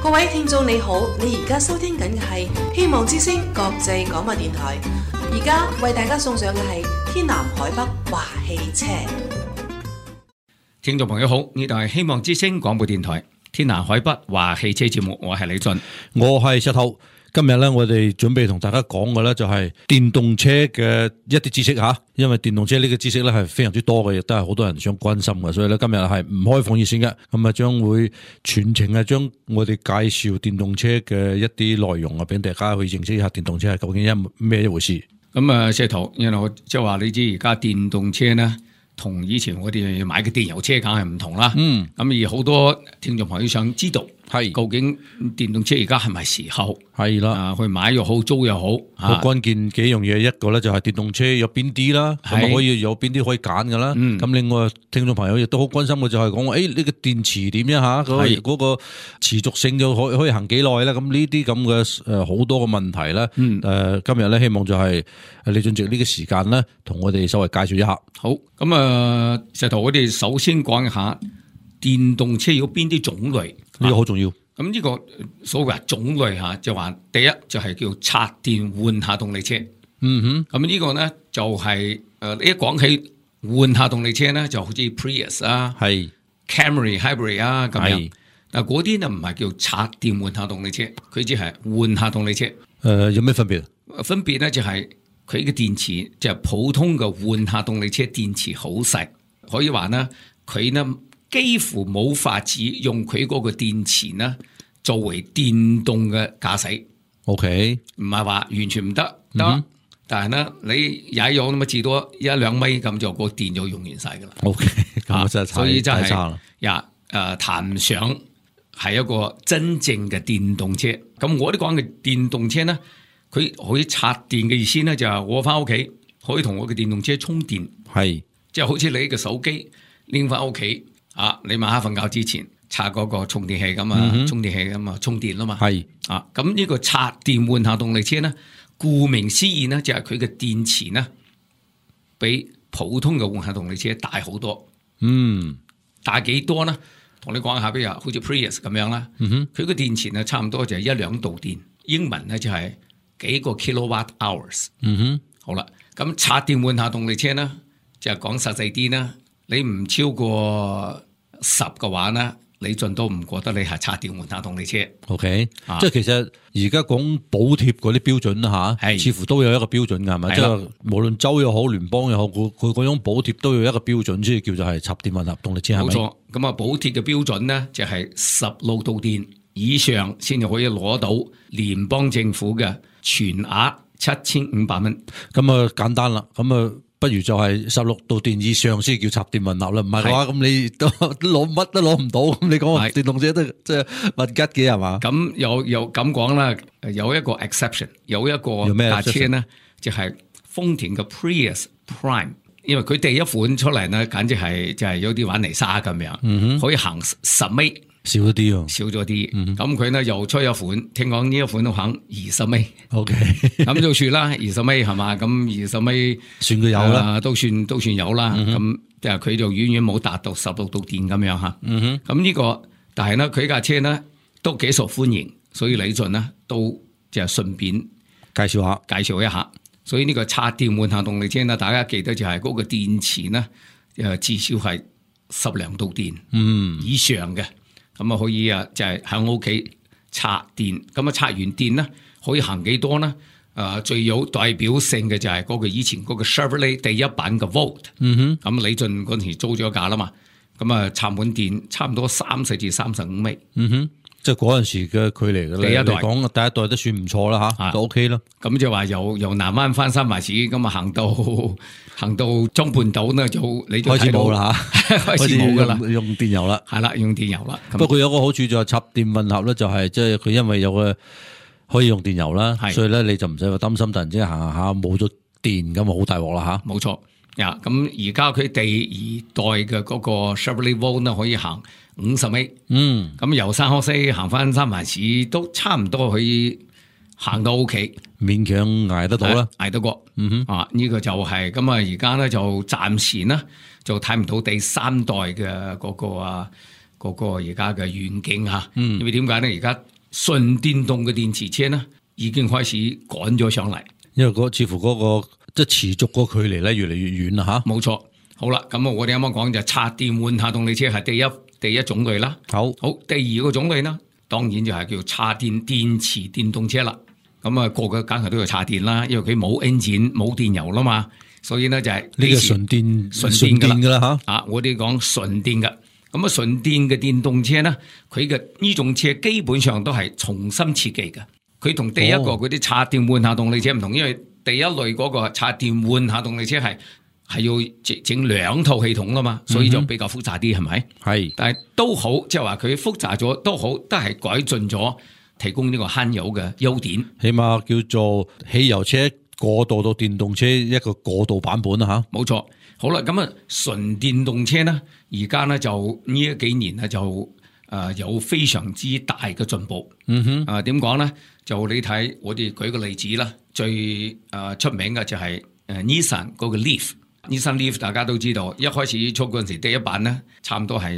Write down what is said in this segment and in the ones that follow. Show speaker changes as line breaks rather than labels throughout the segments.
各位聽眾你好，你而家收聽緊嘅係希望之聲國際廣播電台，而家為大家送上嘅係天南海北話汽車。
聽眾朋友好，呢度係希望之聲廣播電台天南海北話汽車節目，我係李俊，
我係石頭。今日咧，我哋準備同大家講嘅咧就係電動車嘅一啲知識吓，因為電動車呢個知識咧係非常之多嘅，亦都係好多人想關心嘅，所以咧今日係唔開放熱線嘅，咁啊將會全程係將我哋介紹電動車嘅一啲內容啊，俾大家去認識一下電動車係究竟咩一回事。
咁啊，石頭，因為我即係話你知而家電動車呢，同以前我哋買嘅電油車梗係唔同啦。咁而好多聽眾朋友想知道。係，究竟電動車而家係咪時候？係啦，去買又好，租又好。
好關鍵幾樣嘢，一個咧就係電動車有邊啲啦，咁可以有邊啲可以揀噶啦。咁另外聽眾朋友亦都好關心嘅就係講，呢個電池點樣吓？嗰個持續性就可以行幾耐咧？咁呢啲咁嘅好多嘅問題咧。今日咧希望就係李俊植呢個時間咧，同我哋稍微介紹一下。
好，咁石頭，我哋首先講一下電動車有邊啲種類。
呢個好重要。
咁呢個所謂種類吓，就話第一就係叫插電換下動力車。咁呢個咧就係你一講起換下動力車咧，就好似 Prius 啊，係 Camry Hybrid 啊咁樣。但嗰啲咧唔係叫插電換下動力車，佢只係換下動力車。
有咩分別？
分別咧就係佢嘅電池就係普通嘅換下動力車電池好細，可以話呢佢呢。幾乎冇法子用佢嗰個電池呢作為電動嘅駕駛。OK， 唔係話完全唔得，但係呢你踩油咁啊，至多1-2米咁就個電就用完晒噶啦。OK， 咁真係所以真係談唔上係一個真正嘅電動車。咁我哋講嘅電動車呢，佢可以插電嘅意思呢，就係我翻屋企可以同我嘅電動車充電，係即係好似你嘅手機拎翻屋企。你晚黑瞓覺之前插嗰個充電器咁啊，充電器咁啊，充電啦嘛。係咁呢個插電換下動力車呢，顧名思義呢，就係佢嘅電池呢，比普通嘅換下動力車大好多。大幾多呢？同你講下，比如好似 Prius 咁樣啦。佢個電池呢，差唔多就係1-2度電，英文呢就係幾個 kilowatt hours。好啦，咁插電換下動力車呢，就係講實際啲啦。你唔超過10嘅話呢，你盡都唔覺得你係插電換下動力車。OK，
即係其實而家講補貼嗰啲標準啦吓，似乎都有一個標準㗎，係咪？即係無論州又好，聯邦又好，佢嗰種補貼都有一個標準，先叫做係插電混合動力車。冇錯，
咁啊補貼嘅標準呢，就係16度電以上先至可以攞到聯邦政府嘅全額7500蚊。
咁啊簡單啦，咁啊。不如就係16度電以上先叫插電混合啦，唔係嘅話咁你都攞乜都攞唔到，咁你講電動車都即係物吉嘅係嘛？
咁又咁講啦，有一個 exception， 有一個架車呢，就係豐田嘅 Prius Prime， 因為佢第一款出嚟呢，簡直係就係有啲玩泥沙咁樣，可以行10米。
少咗啲喎，
少咗啲。咁佢呢又出一款，聽講呢一款都行20米。OK， 咁就算啦，20米係嘛？咁20米
算佢有啦，
都算有啦。咁即係佢就遠遠冇達到16度電咁樣吓。咁呢個，但係呢佢架車呢都幾受歡迎，所以李俊呢都就係順便介紹一下。所以呢個插電換下動力車呢，大家記得就係嗰個電池呢，至少係12度電以上嘅。咁啊可以就係喺屋企插電，咁啊插完電咧可以行幾多呢？最有代表性嘅就係嗰個以前嗰個 Chevrolet 第一版嘅 Volt。咁李俊嗰陣時租咗架啦嘛，咁啊插滿電差唔多30至35米。
即係嗰陣時嘅距離嘅咧，第一代都算唔錯啦吓，都 OK 啦。
咁就話由南灣翻三藩市，咁啊行到中半島呢，你就
開始冇啦吓，
開始冇噶啦，
用電油啦，
係啦，用電油啦。
不過佢有個好處就係插電混合咧，就係即係佢因為有個可以用電油啦，所以咧你就唔使話擔心突然之間行下冇咗電咁啊，好大鑊啦吓。
冇錯。咁而家佢第2代嘅嗰個 Chevrolet Volt 呢，可以行50米。咁由三河西行翻三藩市都差唔多可以行到屋企，
勉強捱得到啦，
捱得過。呢個就係咁啊！而家咧就暫時呢就睇唔到第3代嘅嗰個嗰個而家嘅遠景嚇。因為點解咧？而家純電動嘅電池車咧已經開始趕咗上嚟，
因為似乎嗰個即係持續嗰個距離咧越嚟越遠啦嚇。
冇錯。好啦，咁我哋啱啱講就插電換下動力車係第一種類啦。好，第二個種類呢，當然就係叫插電電池電動車啦。咁啊，個梗係都要插電啦，因為佢冇 engine 冇電油啦嘛，所以呢，就係
呢個純電噶啦嚇。
我哋講純電噶。咁啊，純電嘅電動車呢，佢嘅呢種車基本上都係重新設計嘅。佢同第一個嗰啲插電換下動力車唔同，因為第一類嗰個插電換下動力車係要整兩套系統啦嘛，所以就比較複雜啲，係咪？係，但係都好，即係話佢複雜咗都好，都係改進咗，提供呢個慳油嘅優點。
起碼叫做汽油車過渡到電動車一個過渡版本啦吓。
冇錯。好啦，咁啊純電動車呢，而家呢就呢幾年呢就有非常之大嘅進步。點講呢？就你睇，我哋舉個例子啦，最出名嘅就係Nissan 嗰個 Leaf。Nissan Leaf 大家都知道，一開始出嗰陣時第一版咧，差唔多係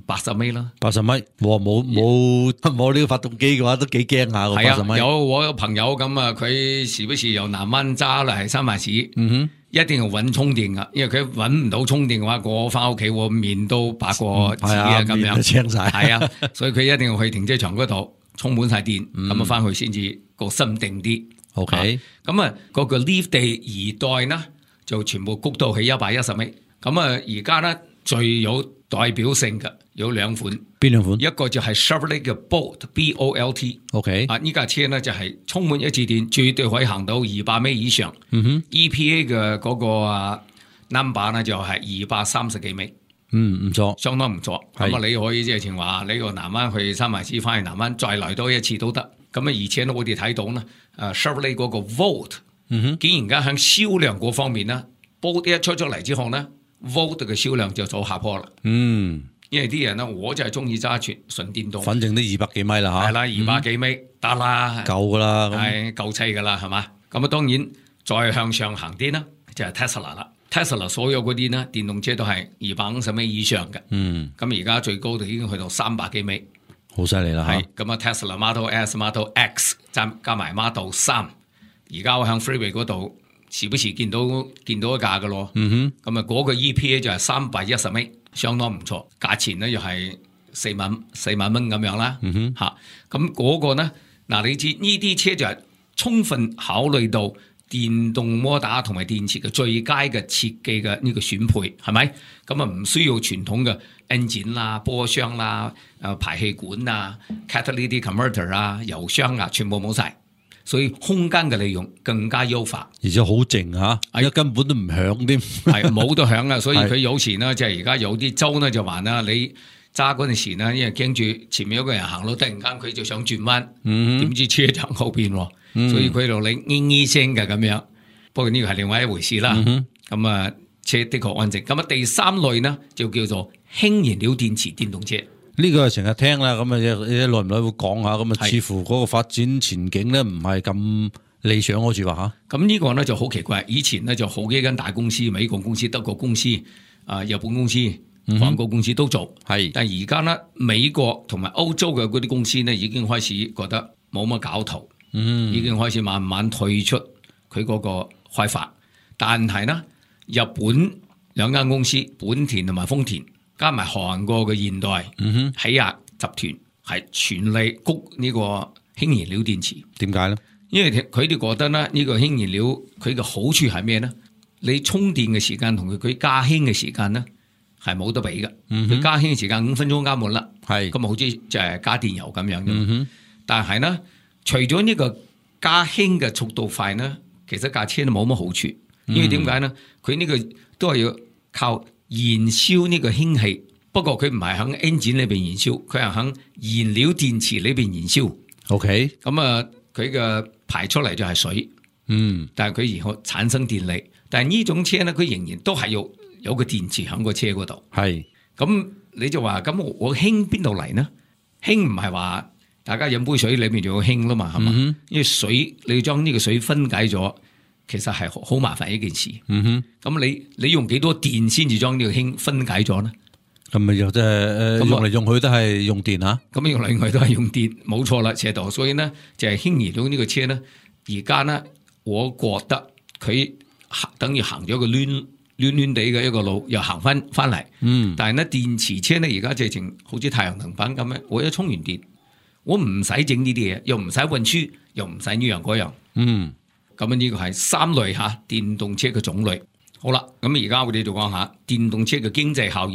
80米啦。
80米，冇呢個發動機嘅話，都幾驚下個80米。
我有朋友咁啊，佢時不時由南灣揸嚟三藩市，一定要揾充電噶，因為佢揾唔到充電嘅話，我翻屋企我面都白過紙啊咁樣，
青晒。係
啊，所以佢一定要去停車場嗰度充滿晒電，咁啊翻去先至個心定啲。
OK，
咁啊嗰個 Leaf 第二代呢，就全部谷到起110米，咁啊而家咧最有代表性嘅有兩款，
邊兩款？
一個就係 Chevrolet 嘅 Bolt，B-O-L-T。OK， 呢架車咧就係充滿一次電，絕對可以行到200米以上。EPA 嘅嗰個number 咧就係230幾米。
唔錯，
相當唔錯。咁啊，你可以即係前話你個南灣去三藩市，翻去南灣再來多一次都得。咁啊，而且咧我哋睇到咧，Chevrolet 嗰個 Volt。竟然間喺銷量嗰方面呢 Bolt 一出咗嚟之後呢 Volt 嘅銷量就走下坡啦。因為啲人呢，我就係中意揸純電動，
反正都200幾米啦嚇。
係啦，200幾米得啦，
夠噶啦，
係夠砌噶啦，係嘛？咁啊，當然再向上行啲呢，就係 Tesla 啦。Tesla 所有嗰啲呢電動車都係250米以上嘅。咁而家最高就已經去到300幾米，
好犀利啦嚇。
係咁啊 ，Tesla Model S、Model X 加埋 Model 3。而家我喺 Freeway 嗰度，時不時見到一架嘅咯。咁啊，嗰個 EPA 就係310米，相當唔錯。價錢咧又係4萬蚊咁樣啦。咁嗰個咧，嗱你知呢啲車就係充分考慮到電動摩打同埋電池嘅最佳嘅設計嘅呢個選配，係咪？咁啊唔需要傳統嘅 engine 啦、波箱啦、排氣管啊、catalytic converter 啊、油箱啊，全部冇晒。所以空間嘅利用更加優化，
而且好靜嚇，而家根本都唔響添，
係冇得響啊！所以佢有時呢，即係而家有啲州呢就話啦，你揸嗰陣時呢，因為驚住前面有個人行路，突然間佢就想轉彎，點知車就喺後邊，所以佢就你咿聲嘅咁樣。不過呢個係另外一回事啦。咁啊，車的確安靜。咁啊，第三類呢就叫做氫燃料電池電動車。
呢個係成日聽啦，咁啊，耐唔耐會講下，咁啊，似乎嗰個發展前景咧唔係咁理想，好似話嚇。咁
呢個咧就好奇怪，以前咧就好幾間大公司，美國公司、德國公司、日本公司、韓國公司都做，但係而家咧美國同埋歐洲嘅嗰啲公司咧已經開始覺得冇乜搞頭，已經開始慢慢退出佢嗰個開發。但係呢，日本兩間公司本田同埋豐田，加埋韓國嘅現代起亞集團係全力谷呢個氫燃料電池。點解咧？因為佢哋覺得咧，呢個氫燃料佢嘅好處係咩咧？你充電嘅時間同佢加氫嘅時間咧係冇得比嘅。佢加氫嘅時間5分鐘加滿啦，咁啊好似就係加電油咁樣嘅。但係咧，除咗呢個加氫嘅速度快咧，其實架車都冇乜好處。因為點解咧？佢呢個都係要靠燃燒呢個氫氣，不過佢唔係喺 engine 裏邊燃燒，佢係喺燃料電池裏邊燃燒。OK，咁啊，佢嘅排出嚟就係水，但係佢然後產生電力。但係呢種車咧，佢仍然都係要有個電池喺個車嗰度。係，咁你就話咁我氫邊度嚟呢？氫唔係話大家飲杯水裏面就有氫啦嘛，係嘛？因為水你要將呢個水分解咗。其實係好麻煩一件事。咁你用幾多電先至將呢個氫分解咗呢？
咁咪又即係用嚟用去都係用電嚇。
咁用嚟用去都係用電，冇錯啦，斜道。所以咧就係輕移到呢個車咧，而家咧我覺得佢等於行咗個攣地嘅一個路，又行翻嚟。但係咧電池車咧而家直情好似太陽能板咁樣，我一充完電，我唔使整呢啲嘢，又唔使運輸，又唔使呢樣嗰樣。咁呢個係三類嚇電動車嘅種類。好啦，咁而家我哋就講下電動車嘅經濟效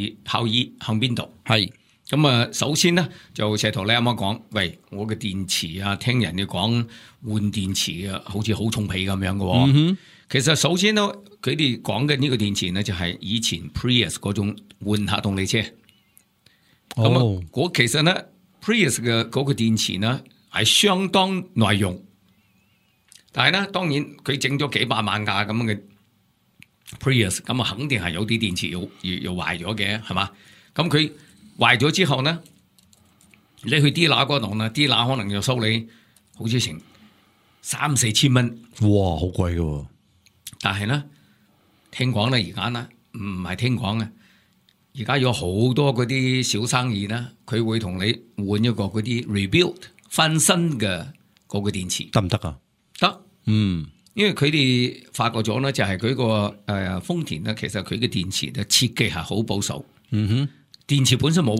益向邊度？
係
咁啊，首先咧就石頭你啱啱講，喂，我嘅電池啊，聽人哋講換電池啊，好似好重皮咁樣嘅喎。其實首先咧，佢哋講嘅呢個電池咧，就係以前 Prius 嗰種換下動力車。咁我其實咧 Prius 嘅嗰個電池呢，係相當耐用，但係咧當然佢整咗幾百萬架咁嘅 Prius， 咁啊肯定係有啲電池要壞咗嘅，係嘛？咁佢壞咗之後呢，你去 dealer 嗰度呢 dealer 可能要收你好似成3-4千蚊。
哇，好貴嘅喎！
但係咧，聽講咧而家呢唔係聽講嘅，而家有好多嗰啲小生意咧，佢會同你換一個嗰啲 rebuild 翻新嘅嗰個電池，
得唔得啊？
得，因為佢哋發覺咗咧，就係佢個豐田咧，其實佢嘅電池嘅設計係好保守。電池本身冇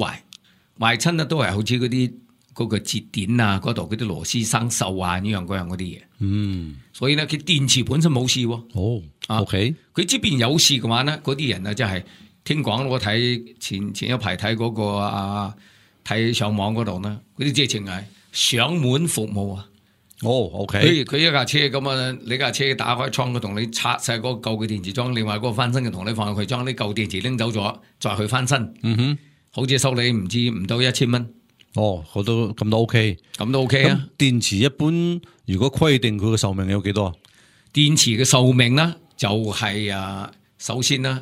壞親咧，都係好似嗰啲嗰個節點啊，嗰度嗰啲螺絲生鏽啊，呢樣嗰樣嗰啲嘢。所以咧，佢電池本身冇事喎。
OK。
佢即便有事嘅話咧，嗰啲人啊，真係聽講我睇前一排睇嗰個睇上網嗰度呢，嗰啲直情係上門服務啊。
OK。
佢一架車咁啊，你架車打開窗，佢同你拆晒嗰個舊嘅電池裝，另外嗰個翻新嘅同你放入去，將啲舊電池拎走咗，再去翻新。好似收你唔到1000蚊。
我都咁都 OK，
咁都 OK 啊。
電池一般如果規定佢嘅壽命有幾多啊？
電池嘅壽命呢，就係首先呢，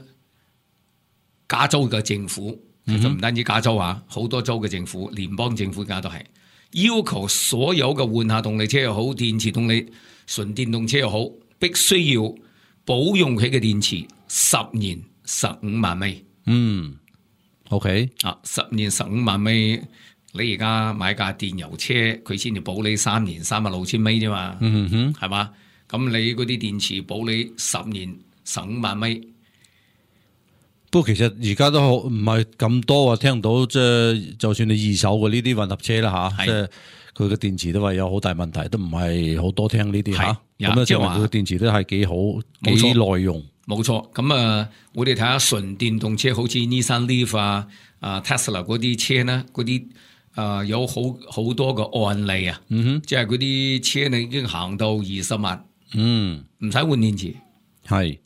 加州嘅政府其實唔單止加州啊，好多州嘅政府、聯邦政府而家都係要求所有嘅換下動力車又好，電池動力純電動車又好，必須要保用佢嘅電池10年15萬米。
OK。
10年15萬米。你而家買架電油車，佢先至保你3年36000米啫嘛，係嘛？咁你嗰啲電池保你10年15萬米。
不過其實而家都唔係咁多啊，聽到即係就算你二手嘅呢啲混合車啦嚇，即係佢嘅電池都話有好大問題，都唔係好多聽呢啲嚇。咁即係話佢嘅電池都係幾好幾耐用。冇
錯。咁我哋睇下純電動車，好似 Nissan Leaf Tesla 嗰啲車呢，嗰啲。有好多個案例啊，即係嗰啲車你已經行到20萬，唔使換電池，
係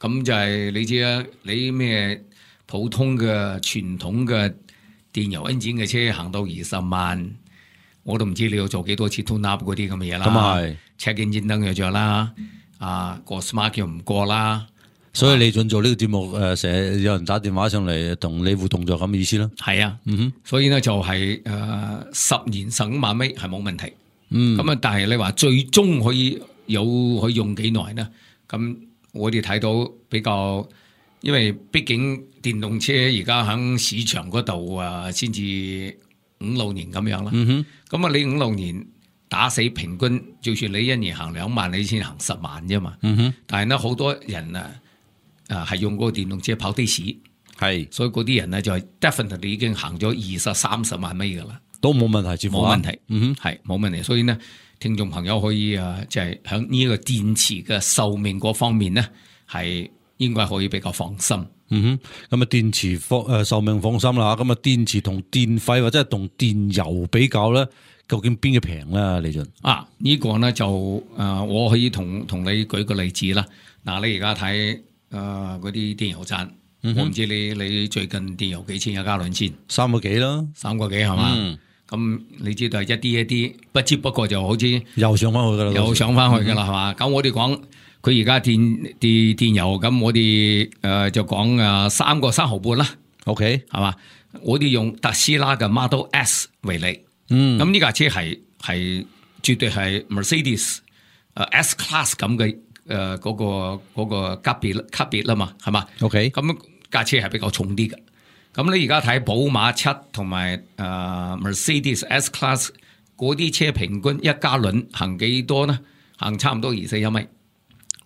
咁就係你知啊，你咩普通嘅傳統嘅電油 engine 嘅車行到20萬，我都唔知你要做幾多次 tune up 嗰啲咁嘅嘢啦。咁係 check engine 燈又着啦，個 smart 又唔過啦。
所以你準做呢個節目，成日有人打電話上嚟同你互動就咁嘅意思啦。
係啊，所以呢就係10年15萬米係冇問題。咁但係你話最終可以用幾耐呢？咁我哋睇到比較，因為畢竟電動車而家喺市場嗰度先至5-6年咁樣啦。咁你5-6年打死平均，就算你一年行2萬，你先行10萬啫嘛。但係呢好多人係用嗰個電動車跑的士，係，所以嗰啲人咧就係 definitely 已經行咗20-30萬米噶啦，都冇問題，冇問題，係冇問題。所以呢，聽眾朋友可以即係喺呢個電池嘅壽命嗰方面呢，係應該可以比較放心。咁電池壽命放心啦。咁電池同電費或者係同電油比較咧，究竟邊個平咧？李俊呢個呢就我可以同你舉個例子啦。嗱，你而家睇。嗰啲電油站，我唔知你最近電油幾錢一加侖先？3個幾啦，3個幾係嘛？咁你知道係一啲，不知不覺就好似又上翻去噶啦，又上翻去噶啦，係嘛？咁我哋講佢而家電油，咁我哋就講3個3毫半啦。OK， 係嘛？我哋用特斯拉嘅 Model S 為例，咁呢架車係絕對係 Mercedes S Class 咁嘅。嗰個級別啦嘛，係嘛 ？OK，咁架車係比較重啲嘅，咁你而家睇寶馬7同埋Mercedes S-Class 嗰啲車平均一加侖行幾多呢？行差唔多21米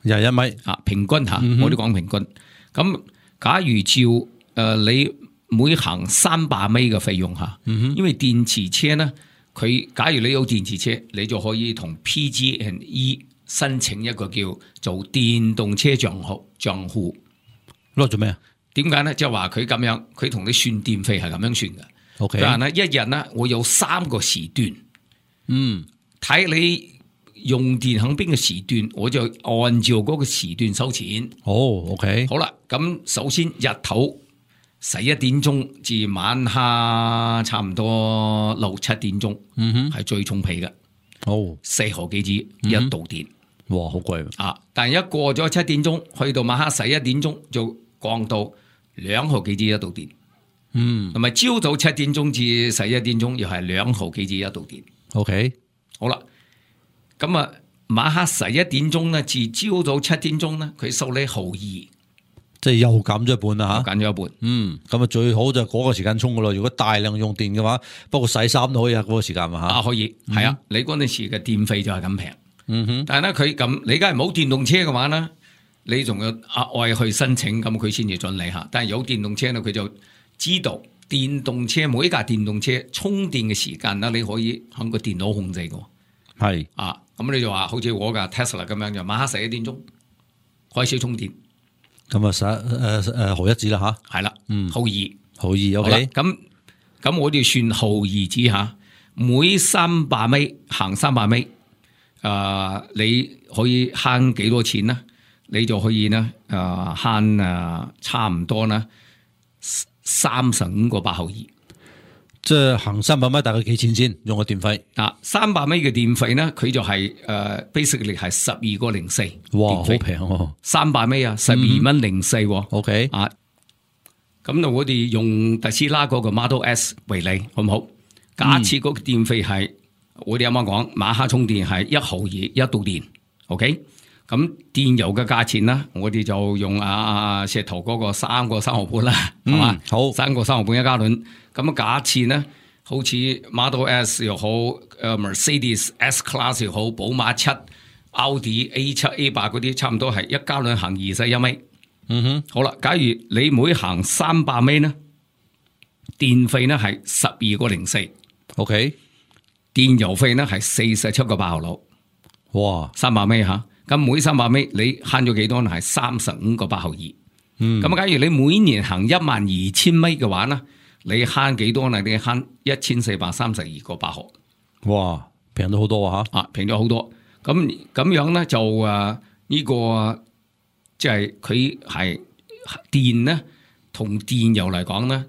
21米
啊，平均嚇，我哋講平均。咁假如照你每行300米嘅費用嚇，因為電池車呢，佢假如你有電池車，你就可以同 PG&E 申請一個叫做電動車賬戶。
攞做咩啊？
點解呢？即係話佢咁樣，佢同你算電費係咁樣算嘅。
OK，
但係呢，一日呢，我有3個時段，睇你用電喺邊個時段，我就按照嗰個時段收錢。
OK，
好啦，咁首先日頭11點鐘至晚黑差唔多6、7點鐘，係最重皮嘅。4毫幾紙一度電，
哇，好貴
啊！但係一過咗7點鐘，去到晚黑11點鐘就降到2毫幾紙一度電。同埋朝早7點鐘至11點鐘又係2毫幾紙一度電。
OK，
好啦，咁啊晚黑11點鐘咧至朝早7點鐘咧，佢收你1毫2。
即係又減咗一半啦嚇，
減咗一半。
咁啊最好就嗰個時間充噶咯。如果大量用電嘅話，不過洗衫都可以喺嗰個時間嘛嚇。
可以，係啊，你嗰陣時嘅電費就係咁平。但係咧佢咁，你梗係冇電動車嘅話咧，你仲要額外去申請，咁佢先至準你嚇。但係有電動車咧，佢就知道電動車每一架電動車充電嘅時間咧，你可以喺個電腦控制嘅。
係
咁你就話好似我架 Tesla 咁樣，就晚黑11點鐘開始充電。
咁啊毫一子啦嚇，
係啦，毫2，
毫2 OK。
咁我哋算毫2子嚇，每300米行300米，你可以慳幾多錢呢？你就可以呢慳差唔多呢35個8毫2。
即係行300米大概幾錢先？用個電費
300米嘅電費呢，佢就係basically 係12個04。
哇，好平喎
！300米啊，12蚊04。
OK
咁我哋用特斯拉嗰個 Model S 為例，好唔好？假設嗰個電費係我哋啱啱講，晚黑充電係1毫2一度電。OK，咁電油嘅價錢呢，我哋就用石頭嗰個3個3毫半啦，係嘛？
好
，3個3毫半一加侖。咁假設呢，好似 Model S 又好，Mercedes S-Class 又好，寶馬7、Audi A7、A8 嗰啲，差唔多係一加侖行21米。好啦，假如你每行300米呢，電費呢係12個04。
OK，
電油費呢係47個8毫6。
哇
，300米嚇，咁每300米你慳咗幾多呢？係35個8毫2。咁假如你每年行12000米嘅話呢，你慳幾多呢？你慳1432個8毫。
哇，平咗好多嚇！
平咗好多。咁樣呢，就呢個即係佢係電呢，同電油嚟講呢，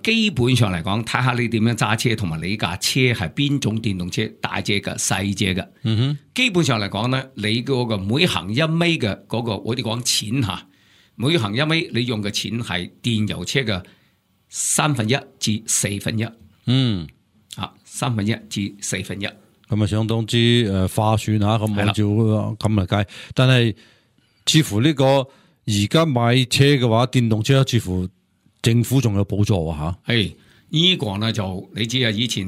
基本上嚟講，睇下你點樣揸車，同埋你架車係邊種電動車，大隻嘅、細隻嘅。基本上嚟講呢，你嗰個每行1米嘅嗰個，我哋講錢嚇，每行1米你用嘅錢係電油車嘅1/3至1/4。1/3至1/4。
咁啊，相當之划算嚇。咁按照咁嚟計，但係似乎呢個而家買車嘅話，電動車似乎政府仲有補助嚇。
係呢個呢就你知啊，以前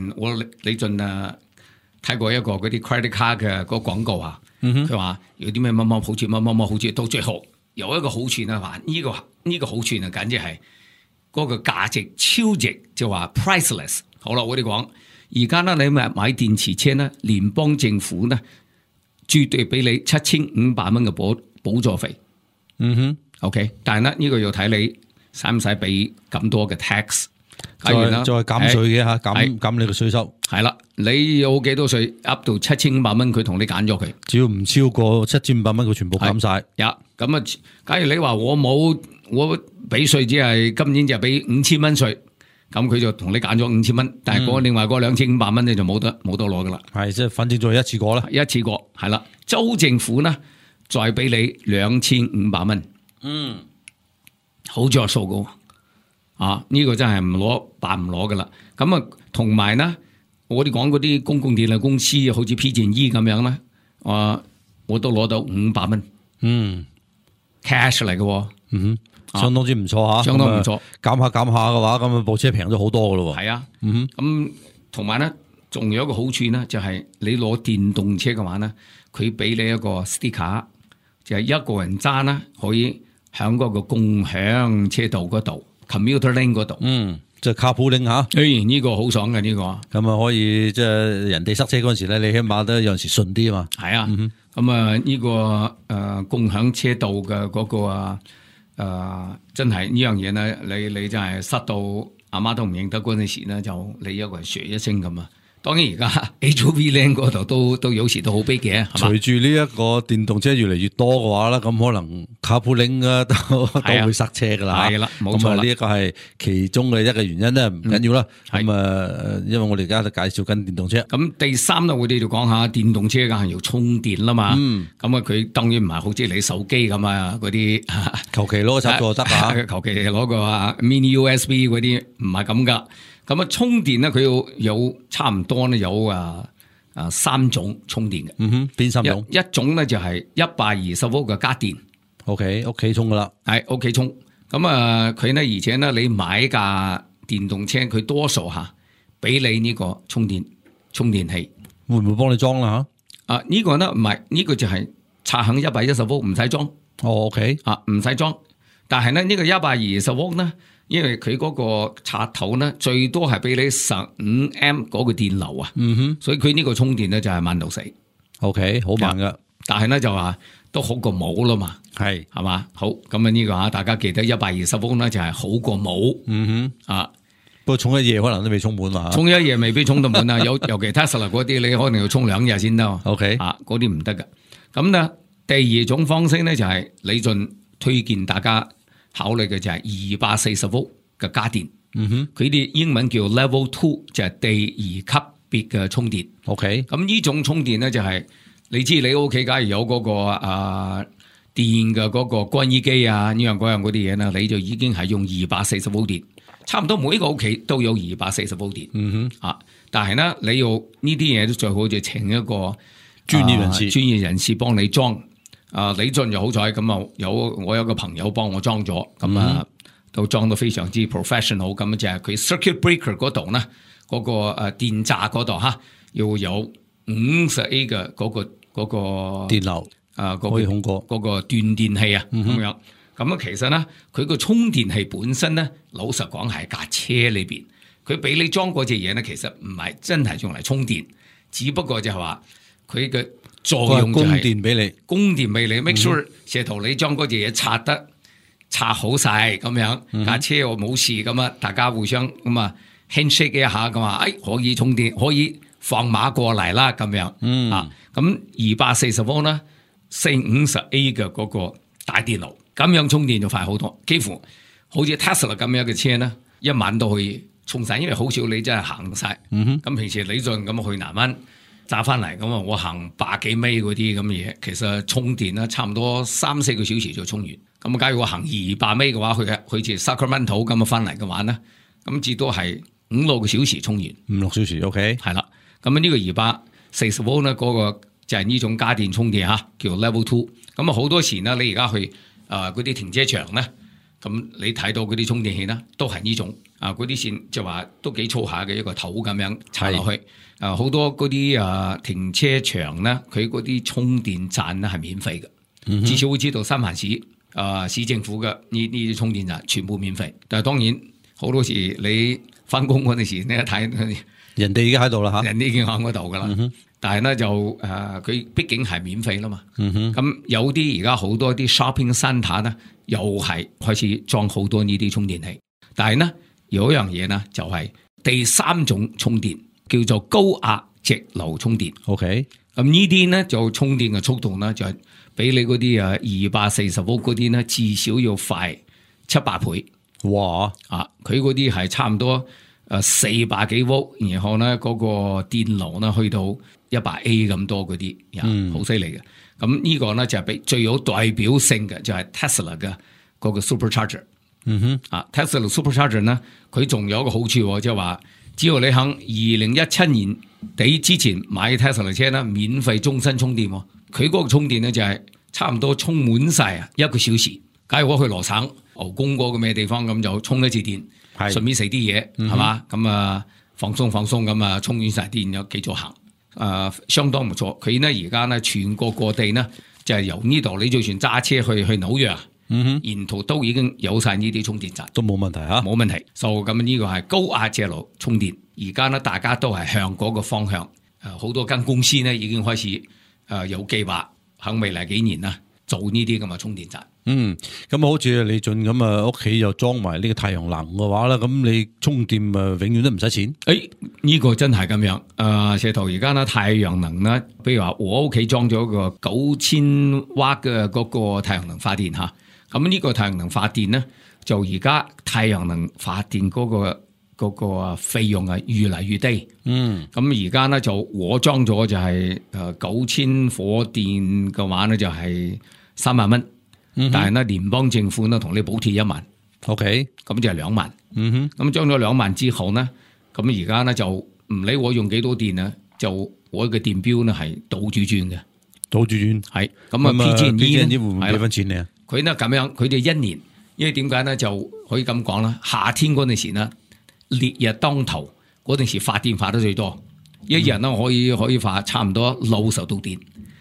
李俊睇過一個嗰啲 credit card 嘅個廣告啊，佢話有啲咩乜乜好處，乜乜乜好處，到最後有一個好處啊，話呢個好處啊，簡直係嗰個價值超值，就話 priceless。好啦，我哋講而家呢，你買電池車呢，聯邦政府呢絕對俾你7500蚊嘅補助費。OK， 但係呢個要睇你使唔使俾咁多嘅 tax。
再減稅嘅嚇，減你個稅收。
係啦，你有幾多稅 up 到7500蚊，佢同你揀咗佢。
只要唔超過7500蚊，佢全部減晒。
咁啊，假如你話我俾稅只係今年就俾5000蚊稅，咁佢就同你揀咗5000蚊，但係另外嗰2500蚊你就冇得攞噶啦。
係，即係反正再一次過啦。
一次過係啦，州政府呢再俾你2500蚊。好着數噶。呢個真係唔攞噶啦。咁啊，同埋呢，我哋講嗰啲公共電力公司，好似 PG&E 咁樣咧，我都攞到500蚊。cash 嚟嘅。
相當之唔錯嚇，
相當唔錯。
減下嘅話，咁部車平咗好多噶咯喎。
係啊，咁同埋咧，仲有一個好處咧，就係你攞電動車嘅話咧，佢俾你一個 sticker，就係一個人揸啦，可以喺嗰個共享車道嗰度 commuter lane 嗰度。
即係 carpooling 嚇。
呢個好爽嘅呢個。
咁啊可以即係人哋塞車嗰陣時咧，你起碼都有陣時順啲啊嘛。
係啊，咁啊呢個共享車道嘅嗰個真係呢樣嘢咧，你真係塞到阿媽都唔認得嗰陣時咧，就你一個人説一聲咁啊！當然而家 HOV lane 嗰度都有時都好逼嘅，係嘛？
隨住呢一個電動車越嚟越多嘅話咧，咁可能 carpooling 都會塞車噶啦。
係啦，冇錯啦。
呢一個係其中嘅一個原因咧，唔緊要啦。咁因為我哋而家都介紹緊電動車。
咁第三咧，我哋就講下電動車梗係要充電啦嘛。咁啊，佢當然唔係好似你手機咁啊，嗰啲
求其攞個插座得啊，
求其攞個 mini USB 嗰啲唔係咁噶。咁啊，充電咧，佢有差唔多咧，有三種充電嘅。
邊三種？
一種咧就係120V嘅家電。
OK， 屋企充噶啦。
係屋企充。咁啊，佢咧而且咧，你買架電動車，佢多數俾你呢個充電器。
會唔會幫你裝啦嚇？
呢個咧唔係，呢個就係插響110V，唔使裝。
OK。
唔使裝。但係咧呢個120V咧，因為佢嗰個插頭咧最多係俾你15A 嗰個電流啊，所以佢呢個充電咧就係慢到死。
OK， 好慢噶，
但係咧就話都好過冇啦嘛，係嘛？好，咁啊呢個大家記得120V咧就係好過冇。
不過充一夜可能都未充滿嘛，
充一夜未必充到滿啊。尤其 Tesla 嗰啲，你可能要充2日先得。
OK，
嗰啲唔得噶。咁咧第二種方式咧就係李俊推薦大家考慮嘅就係240V嘅家電，佢啲英文叫 Level 2，就係第二級別嘅充電。
OK，
咁呢種充電咧就係你知你屋企假如有嗰個電嘅嗰個乾衣機啊呢樣嗰樣嗰啲嘢啦，你就已經係用240V電，差唔多每一個屋企都有240V電。但係咧你要呢啲嘢都最好就請一個專業人士幫你裝。李俊又好彩咁啊，我有個朋友幫我裝咗，咁都裝到非常之 professional， 咁就係佢 circuit breaker 嗰度咧，嗰個電閘嗰度要有50A 嘅嗰個
電流可以控過
嗰個斷電器啊，咁樣。咁啊，其實咧佢個充電器本身咧，老實講係架車裏邊，佢俾你裝嗰隻嘢咧，其實唔係真係用嚟充電，只不過就係話佢嘅作用就係供電俾你 make sure 石頭你將嗰隻嘢拆好晒咁樣，架車我冇事咁啊，大家互相咁啊 handshake 一下咁啊，可以充電，可以放馬過嚟啦咁樣。咁240V啦，450A 嘅嗰個大電腦，咁樣充電就快好多，幾乎好似 Tesla 咁樣嘅車咧，一晚都可以充晒，因為好少你真係行晒。咁平時李俊咁去南灣揸翻嚟咁啊，我行100幾米嗰啲咁嘅嘢，其實充電啦，差唔多3-4個小時就充完。咁假如我行200米嘅話，去似 Sacramento 咁啊翻嚟嘅話咧，咁至多係5-6個小時充完。5-6
小時 OK，
係啦。咁呢個240V咧，嗰個就係呢種家電充電叫 Level 2。咁啊好多時呢，你而家去嗰啲停車場咧，咁你睇到嗰啲充電器咧，都係呢種嗰啲線就話都幾粗下嘅一個頭咁樣插落去。好多嗰啲停車場咧，佢嗰啲充電站咧係免費嘅，至少會知道三藩市市政府嘅呢啲充電站全部免費。但係當然好多時你翻工嗰陣時，你一睇
人哋已經喺度啦嚇，
人哋已經喺嗰度噶啦。但係咧就佢畢竟係免費啦嘛。咁有啲而家好多啲 shopping centre 咧，又係開始裝好多呢啲充電器。但係呢，有一樣嘢呢，就係第三種充電。叫做高壓直流充電 ，OK， 咁呢啲咧就充電嘅速度咧就係比你嗰啲240V嗰啲咧至少要快700倍。哇！佢嗰啲係差唔多400幾V，然後咧嗰個電流咧去到100A 咁多嗰啲，好犀利嘅。咁呢個咧就係比最有代表性嘅就係 Tesla 嘅嗰個 Supercharger。Tesla Supercharger 咧，佢仲有一個好處即係話。只要你喺2017年底之前買 Tesla 車咧，免費終身充電。佢嗰個充電咧就係差唔多充滿晒1個小時。假如我去羅省，牛公嗰個咩地方咁就充一次電，
係
順便食啲嘢係嘛，咁啊放鬆咁啊充完晒電又繼續行，相當唔錯。佢呢而家呢全國各地呢就係由呢度你就算揸車去紐約啊，沿途都已經有晒呢啲充電站，
都冇問題嚇。
冇問題。咁呢個係高壓斜路充電，而家呢大家都係向嗰個方向，好多間公司呢已經開始有計劃喺未來幾年啦做呢啲咁嘅充電站。
咁好似李俊咁啊，屋企又裝埋呢個太陽能嘅話咧，咁你充電永遠都唔使錢。
呢個真係咁樣。石頭而家呢太陽能呢，比如話我屋企裝咗個9000瓦嘅嗰個太陽能發電嚇，咁呢個太陽能發電呢，就而家太陽能發電嗰個費用係越嚟越低。咁而家呢，就我裝咗就係9000火電嘅話呢，就係3萬蚊。但係呢，聯邦政府呢同你補貼1萬
，OK，
咁就係2萬。咁裝咗2萬之後呢，咁而家呢就唔理我用幾多電啊，就我嘅電表呢係倒住轉嘅，倒住轉係。咁啊 PG&E 會唔會俾翻錢你啊？佢呢咁樣，佢哋1年，因為點解呢就可以咁講啦？夏天嗰陣時呢，烈日當頭嗰陣時發電發得最多，一日呢可以發差唔多60度電。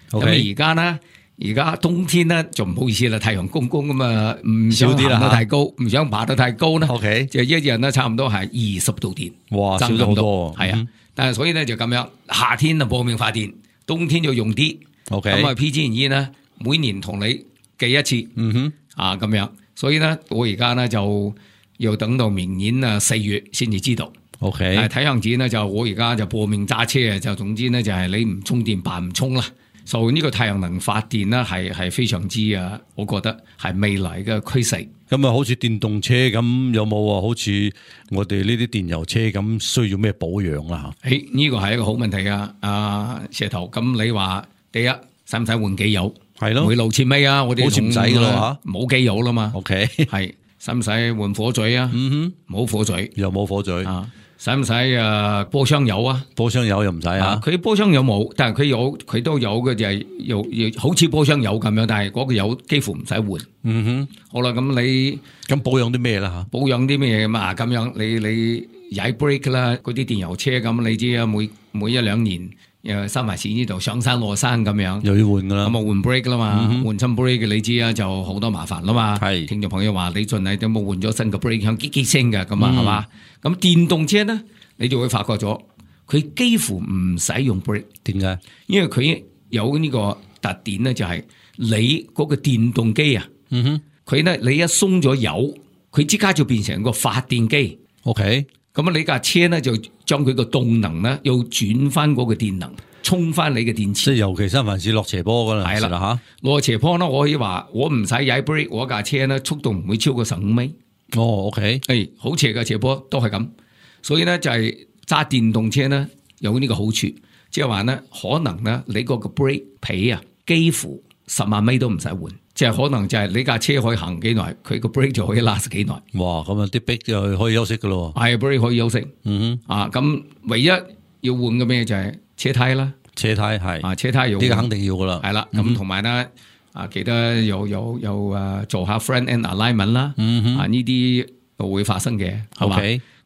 咁而家呢？而家冬天咧就唔好意思啦，太陽公公咁啊，唔想行得太高，唔想爬得太高啦。
OK，
就一日咧差唔多係20度電。
哇，少咗好多。係啊，
但係所以咧就咁樣，夏天就搏命發電，冬天就用啲。OK，咁啊 PG&E 呢每年同你計一次。咁樣，所以咧我而家咧就要等到明年4月先至知道。OK，但係睇樣子呢，就我而家就搏命揸車啊，就總之呢，就係你唔充電扮唔充啦。所以呢個太陽能發電咧係非常之我覺得係未來嘅趨勢。
咁啊，好似電動車咁，有冇話好似我哋呢啲電油車咁需要咩保養啦？
呢個係一個好問題啊！石頭，咁你話第一使唔使換機油？係咯，每路設尾啊，我哋好似唔使噶啦嚇，冇機油啦嘛。OK，係使唔使換火嘴啊？冇火嘴，又冇火嘴啊！使唔使波箱油啊？波箱油又唔使啊！佢波箱油冇，但係佢都有嘅，就係又好似波箱油咁樣，但係嗰個油幾乎唔使換。好啦，咁你咁保養啲咩啦嚇？保養啲咩嘛？咁樣你踩 brake 啦，嗰啲電油車咁，你知啊，每1-2年又收埋錢呢度上山落山咁樣，又要換噶啦。咁啊換 brake 啦嘛，換親 brake 你知啊，就好多麻煩啦嘛。係聽眾朋友話你盡係有冇換咗新嘅 brake 響嘰嘰聲嘅咁啊，係嘛？咁電動車咧，你就會發覺咗，佢幾乎唔使用 brake。點解？因為佢有呢個特點咧，就係你嗰個電動機啊，佢咧你一鬆咗油，佢即刻就變成個發電機。OK。咁你架車咧就將佢個動能咧，又轉翻嗰個電能，充翻你嘅電池。即係尤其三藩市落斜坡嗰陣，係啦嚇，落斜坡咧，我可以話我唔使踩 brake，我架車咧速度唔會超過15米。OK，好斜嘅斜坡都係咁，所以咧就係揸電動車咧有呢個好處，即係話咧可能咧你嗰個 brake 皮啊，幾乎10萬米都唔使換。即係可能就係你架車可以行幾耐，佢個 brake 就可以 last 幾耐。哇！咁啊啲 brake 就可以休息噶咯。係 brake 可以休息。咁唯一要換嘅咩就係車胎啦。車胎係車胎要呢個肯定要噶啦。係啦，咁同埋咧記得有做下 front end alignment 啦。呢啲會發生嘅係嘛？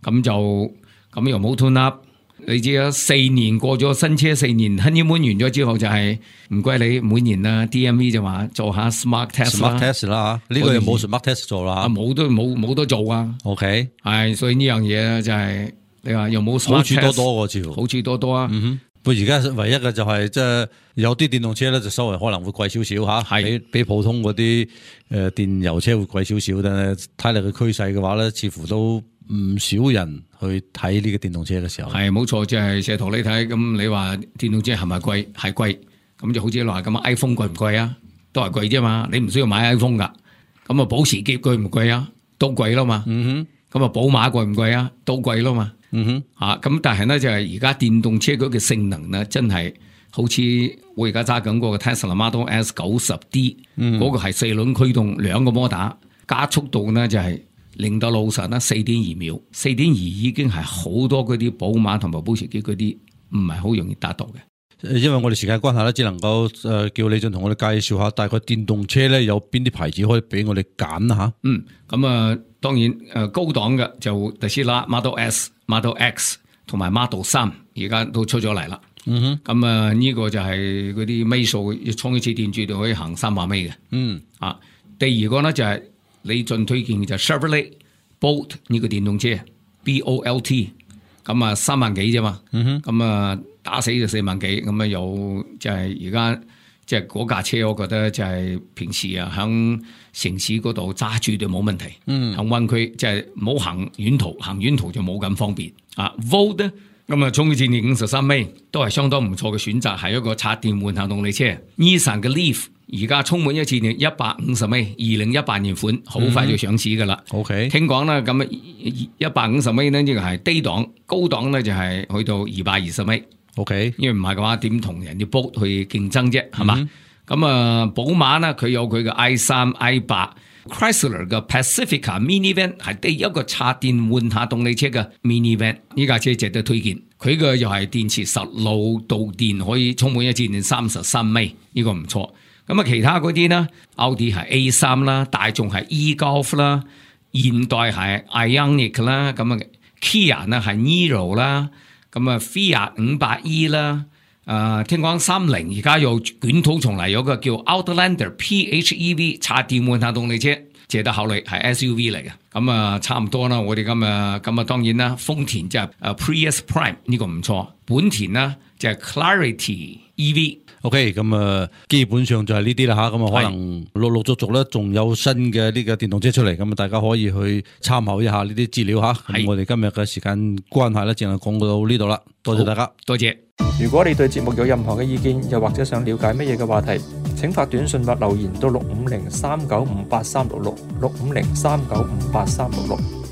咁又冇 tune up。你知啊，4年過咗新車4年 honeymoon 完咗之後就係唔該你每年啦 DMV 就話做下 smart test 啦，呢個又冇 smart test 做啦，冇得做啊。OK， 係所以呢樣嘢就係你話又冇 smart test， 好處多多個好處多多啊。不過而家唯一嘅就係即係有啲電動車咧就稍微可能會貴少少吓，比普通嗰啲電油車會貴少少，但係睇嚟嘅趨勢嘅話咧，似乎都唔少人去睇呢個電動車嘅時候，係冇錯，即係石頭你睇咁，你話電動車係咪貴？係貴，咁就好似話咁 iPhone 貴唔貴啊？都係貴啫嘛，你唔需要買 iPhone 噶。咁啊，保時捷貴唔貴啊？都貴啦嘛。咁啊，寶馬貴唔貴啊？都貴啦嘛。咁但係咧就係而家電動車嗰個性能咧，真係好似我而家揸緊嗰個 Tesla Model S 90D，嗰個係4輪驅動2個摩打，加速度咧就係0到60啦，4.2秒，4.2已經係好多嗰啲寶馬同埋保時捷嗰啲唔係好容易達到嘅。
因為我哋時間關係咧，只能夠叫李俊同我哋介紹下大概電動車咧有邊啲牌子可以俾我哋揀吓。
咁當然高檔嘅就特斯拉 Model S、Model X 同埋 Model 3而家都出咗嚟啦。咁呢個就係嗰啲尾數，充一次電住就可以行300米嘅。第二個咧就係李俊推薦嘅就係 Chevrolet Bolt 呢個電動車 BOLT， 咁3萬幾啫嘛。咁打死就4萬幾，咁有就係而家即係嗰架車，我覺得就係平時喺城市嗰度揸住就冇問題。喺灣區即係唔好行遠途就冇咁方便。Volt 咧，咁充一次電53米都係相當唔錯嘅選擇，係一個插電混合動力車。Nissan 嘅 Leaf 而家充滿一次電150米，2018年款，好快就上市噶啦。
OK，
聽講啦，咁150米呢，呢個係低檔，高檔咧就係去到220米。
OK，
因為唔係嘅話，點同人哋 Bolt 去競爭啫，係嘛？咁寶馬呢，佢有佢嘅 i3、i8。Chrysler 嘅 Pacifica Minivan 係第一個插電混合動力車嘅 Minivan， 呢架車值得推薦。佢嘅又係電池10路導電，可以充滿一次電33米，呢個唔錯。咁其他嗰啲呢，奧迪係 A3 啦，大眾係 e-Golf 啦，現代係 Ioniq 啦，咁Kia 呢係 Niro 啦，咁Fiat 500e 啦。聽講30而家又捲土重嚟，有個叫 Outlander PHEV 插電混合動力車，值得考慮，係 SUV 嚟嘅。咁差唔多啦，我哋咁當然啦，豐田就係Prius Prime 呢個唔錯，本田呢就係 Clarity EV。OK，
咁基本上就係呢啲啦吓，咁可能陸續咧仲有新嘅呢個電動車出嚟，咁大家可以去參考一下呢啲資料吓。咁我哋今日嘅時間關係咧，淨係講到呢度啦，多謝大家，
多謝。
如果你對節目有任何嘅意見，又或者想了解乜嘢嘅話題，請發短信或留言到65039583666，65039583666。